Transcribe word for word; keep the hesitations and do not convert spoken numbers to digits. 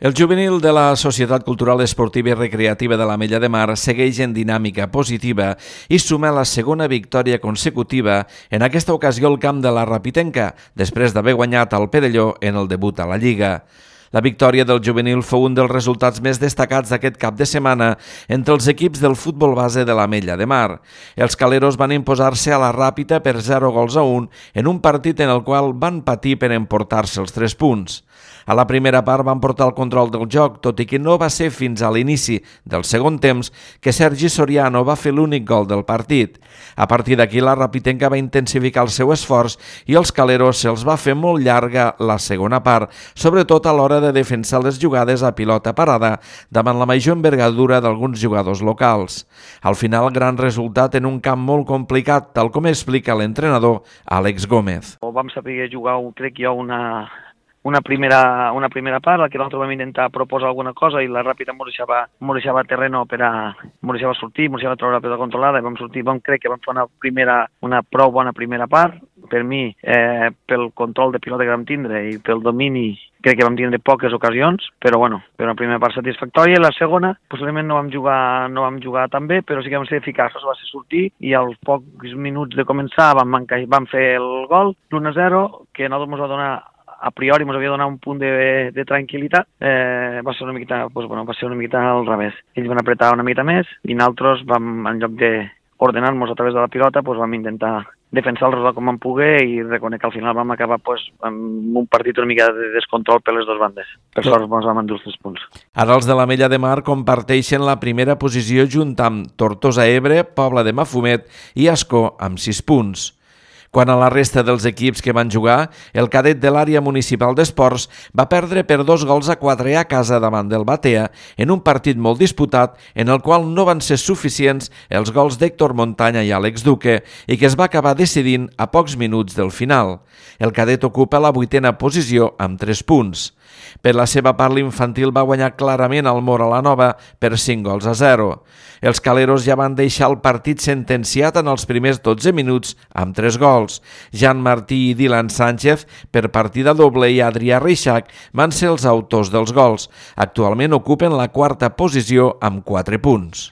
El juvenil de la Societat Cultural Esportiva i Recreativa de l'Ametlla de Mar segueix en dinàmica positiva i suma la segona victòria consecutiva, en aquesta ocasió al camp de la Rapitenca, després d'haver guanyat al Perelló en el debut a la Lliga. La victòria del juvenil fou un dels resultats més destacats d'aquest cap de setmana entre els equips del futbol base de l'Ametlla de Mar. Els caleros van imposar-se a la Ràpita per zero gols a un en un partit en el qual van patir per emportar-se els tres punts. A la primera part van portar el control del joc, tot i que no va ser fins a l'inici del segon temps que Sergi Soriano va fer l'únic gol del partit. A partir d'aquí la Rapitenca va intensificar el seu esforç i els caleros se'ls va fer molt llarga la segona part, sobretot a l'hora de defensar les jugades a pilota parada davant la major envergadura d'alguns jugadors locals. Al final, gran resultat en un camp molt complicat, tal com explica l'entrenador Àlex Gómez. Vam saber jugar, crec jo, una... Una primera, una primera part, la que nosaltres vam intentar proposar alguna cosa i la Ràpita ens deixava, deixava terreno per a, ens deixava sortir, ens deixava treure la pilota controlada i vam sortir, vam, crec que vam fer una, primera, una prou bona primera part. Per mi, eh, pel control de pilota que vam tindre i pel domini, crec que vam tindre poques ocasions, però bueno, per una primera part satisfactòria. I la segona, possiblement no vam jugar, no vam jugar tan bé, però sí que vam ser eficaços, va ser sortir i als pocs minuts de començar vam, vam fer el gol, l'u a zero, que nosaltres ens va donar a priori ens havia donat un punt de, de tranquil·litat, eh, va ser una miqueta, doncs, bueno, va ser una miqueta al revés. Ells van apretar una miqueta més i nosaltres vam, en lloc d'ordenar-nos a través de la pilota, doncs, vam intentar defensar el resultat com vam poder i reconec que al final vam acabar doncs, amb un partit una mica de descontrol per les dues bandes. Per sort ens vam endur els tres punts. Ara els de l'Ametlla de Mar comparteixen la primera posició junt amb Tortosa Ebre, Pobla de Mafumet i Ascó amb sis punts. Quant a la resta dels equips que van jugar, el cadet de l'àrea municipal d'esports va perdre per dos gols a quatre a casa davant del Batea en un partit molt disputat en el qual no van ser suficients els gols d'Héctor Montaña i Àlex Duque i que es va acabar decidint a pocs minuts del final. El cadet ocupa la vuitena posició amb tres punts. Per la seva part, l'infantil va guanyar clarament al Móra la Nova per cinc gols a zero. Els caleros ja van deixar el partit sentenciat en els primers dotze minuts amb tres gols. Jan Martí i Dylan Sánchez, per partida doble, i Adrià Reixac van ser els autors dels gols. Actualment ocupen la quarta posició amb quatre punts.